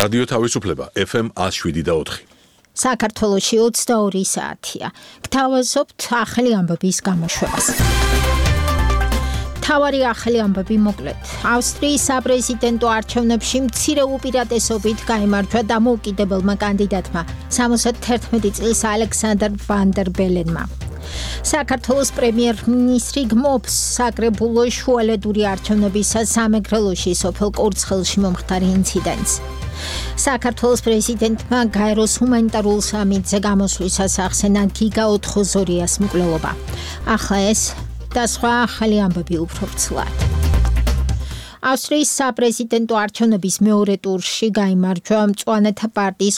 რადიო თავისუფლება FM 107.4. საქართველოში 22 საათია. გთავაზობთ ახალი ამბების გამოშვებას. თავარი ახალი ამბები მოკლედ. ავსტრიის საპრეზიდენტო არჩევნებში მცირე უპირატესობით გაიმარჯვა დამოუკიდებელმა კანდიდატმა 71 წლის ალექსანდრ ვან დერ ბელენმა. საქართველოს პრემიერ-მინისტრი გმობს საკრებულოს შუალედური არჩევნებისას სამეგრელოში სოფელ კურცხელში მომხდარი ინციდენტს. საქართველოს პრეზიდენტმა გაეროს ჰუმანიტარულ სამიტზე გამოსვლისას ახსენა გიგა ოთხოზორიას მკვლელობა. ახლა ეს და სხვა ახალი ამბები უფრო ვრცლად. ავსტრიის საპრეზიდენტო არჩევნების მეორე ტურში გაიმარჯვა მწვანეთა პარტიის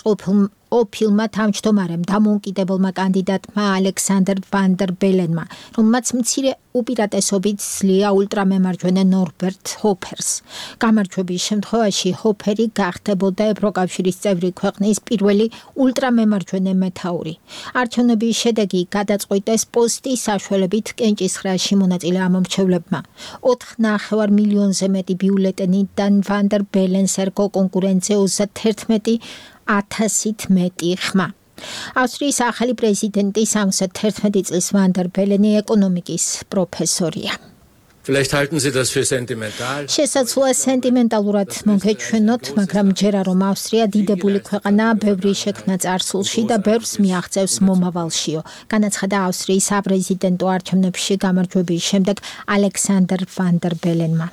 ყოფილმა თავმჯდომარემ დამოუკიდებელმა კანდიდატმა ალექსანდრ ვან დერ ბელენმა, რომელმაც მცირე უპირატესობით სძლია ულტრამემარჯვენე ნორბერტ ჰოფერს. გამარჯვების შემთხვევაში ჰოფერი გახდებოდა ევროკავშირის წევრი ქვეყნის პირველი ულტრამემარჯვენე მეთაური. არჩევნების შედეგი გადაწყვიტეს პოსტის საშუალებით კენჭისხრაში მონაწილე ამომრჩევლებმა. 4,5 მილიონზე მეტი ბიულეტენიდან ვან დერ ბელენს ერგო კონკურენცია 31,000-ით მეტი ხმა. ავსტრიის ახალი პრეზიდენტი 71 წლის ვან დერ ბელენი ეკონომიკის პროფესორია. Vielleicht halten Sie das für sentimental. შესაძლოა სენტიმენტალურად მოგეჩვენოთ, მაგრამ ჯერა რომ ავსტრია დიდებული ქვეყანაა, ბევრი შექმნა წარსულში და ბევრს მიაღწევს მომავალშიო. განაცხადა ავსტრიის საპრეზიდენტო არჩევნებში გამარჯვების შემდეგ ალექსანდრ ვან დერ ბელენმა.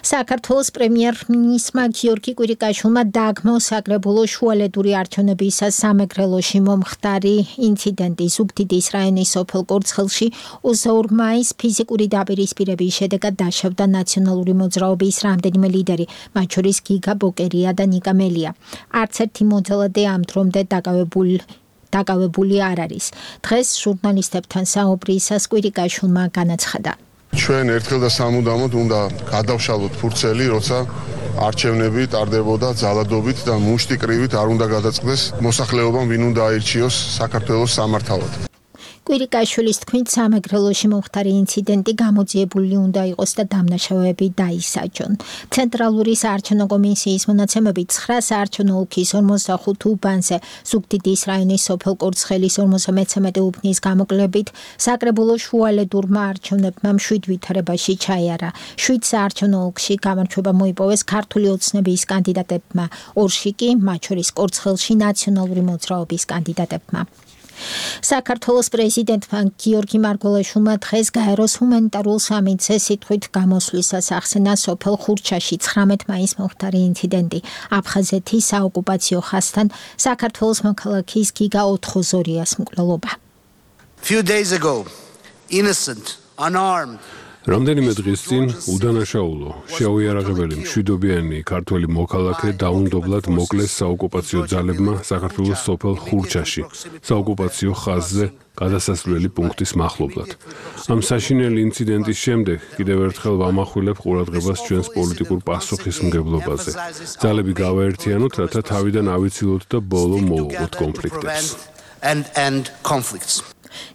საქართველოს პრემიერ-მინისტრმა გიორგი კვირიკაშვილმა დააგმო საკრებულოს შუალედური არჩევნებისას სამეგრელოში მომხდარი ინციდენტი ზუგდიდის რაიონის სოფელ კურცხელში 22 მაისს ფიზიკური დაპირისპირების შედეგად დაშავდა ნაციონალური მოძრაობის რამდენიმე ლიდერი, მათ შორის გიგა ბოკერია და ნიკა მელია. არც ერთი მოძალადე ამ დრომდე დაკავებული არ არის. დღეს ჟურნალისტებთან საუბრისას კვირიკაშვილმა განაცხადა. ჩვენ ერთხელ და სამუდამოდ უნდა გადავშალოთ ფურცელი, როცა არჩევნები ტარდებოდა ძალადობით და მუშტი კრივით არ უნდა გადაწყდეს მოსახლეობამ, ვინ უნდა აირჩიოს საქართველოს სამართავად. კვირიკაშვილის თქმით, სამეგრელოში მომხდარი ინციდენტი გამოძიებული უნდა იყოს და დამნაშავეები დაისაჯონ. ცენტრალური საარჩევნო კომისიის მონაცემებით 9 საარჩევნო ოლქის 45 უბანზე ზუგდიდის რაიონის სოფელ კურცხელის 53 უბნის გამოკლებით საკრებულოს შუალედურმა არჩევნებმა 7 ვითარებაში ჩაიარა. 7 საარჩევნო ოლქში გამარჯვება მოიპოვეს ქართული ოცნების კანდიდატებმა, 2-ში კი, მათ შორის კურცხელში ნაციონალური მოძრაობის კანდიდატებმა. საქართველოს პრეზიდენტმა გიორგი მარგველაშვილმა დღეს გაეროს ჰუმანიტარულ სამიტზე სიტყვით გამოსვლისას ახსენა სოფელ ხურჩაში 19 მაისს მომხდარი ინციდენტი. აფხაზეთის საოკუპაციო ხაზთან საქართველოს მოქალაქის გიგა ოთხოზორიას მკვლელობა. Few days ago, innocent, unarmed რამდენიმე დღის წინ უდანაშაულო, შეუიარაღებელი მშვიდობიანი ქართველი მოქალაქე დაუნდობლად მოკლეს საოკუპაციო ძალებმა საქართველოს სოფელ ხურჩაში, საოკუპაციო ხაზზე გადასასვლელი პუნქტის მახლობლად. ამ საშინელი ინციდენტის შემდეგ კიდევ ერთხელ ვამახვილებ ყურადღებას ჩვენს პოლიტიკურ პასუხისმგებლობაზე. ძალები გავაერთიანოთ, რათა თავიდან ავიცილოთ და ბოლო მოვუყოთ კონფლიქტებს.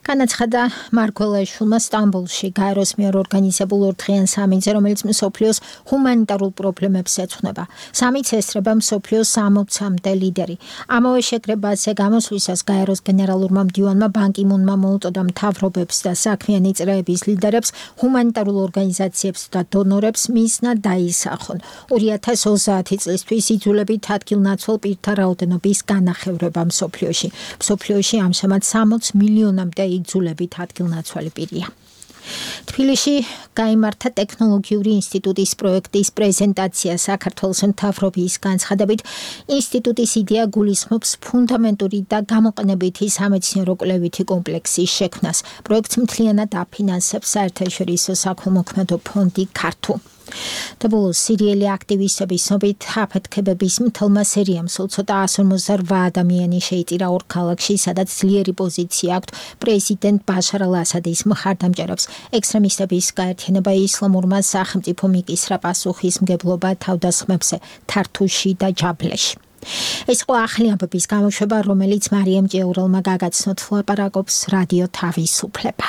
განაცხადა მარგველაშვილმა სტამბოლში გაეროს მიერ ორგანიზებულ ორდღიან სამიტზე, რომელიც მსოფლიოს ჰუმანიტარულ პრობლემებს ეძღვნება. სამიტს ესწრება მსოფლიოს 60-მდე ლიდერი. ამავე შეკრებაზე გამოსვლისას გაეროს გენერალურმა მდივანმა ბან კი მუნმა მოუწოდა მთავრობებს და საქმიანი წრეების ლიდერებს, ჰუმანიტარულ ორგანიზაციებს და დონორებს მისნა დაისახონ 2030 წლისთვის იძულებით ადგილნაცვალ პირთა რაოდენობის განახევრება მსოფლიოში. მსოფლიოში ამჟამად 60 მილიონამდე იძულებით ადგილნაცვალი პირია. თბილისში გაიმართა ტექნოლოგიური ინსტიტუტის პროექტის პრეზენტაცია. საქართველოს მთავრობის განცხადებით, ინსტიტუტის იდეა გულისხმობს ფუნდამენტური და გამოყენებითი სამეცნიერო კვლევითი კომპლექსის შექმნას. პროექტს მთლიანად აფინანსებს საერთაშორისო საქველმოქმედო ფონდი ქართუ. დაბოლოს სირიელი აქტივისტების ცნობით აფეთქებების მთელმა სერიამ სულ ცოტა 158 ადამიანი შეიწირა ორ ქალაქში, სადაც ძლიერი პოზიცია აქვთ პრეზიდენტ ბაშარ ალ-ასადის მხარდამჭერებს. ექსტრემისტების გაერთიანება ისლამურმა სახელმწიფო მიკისრა პასუხისმგებლობა თავდასხმებზე თართუში და ჯაბლეში. ეს იყო ახალი ამბების გამოშვება, რომელიც მარიამ ჭეურელმა გაგაცნოთ. ლაპარაკობს რადიო თავისუფლება.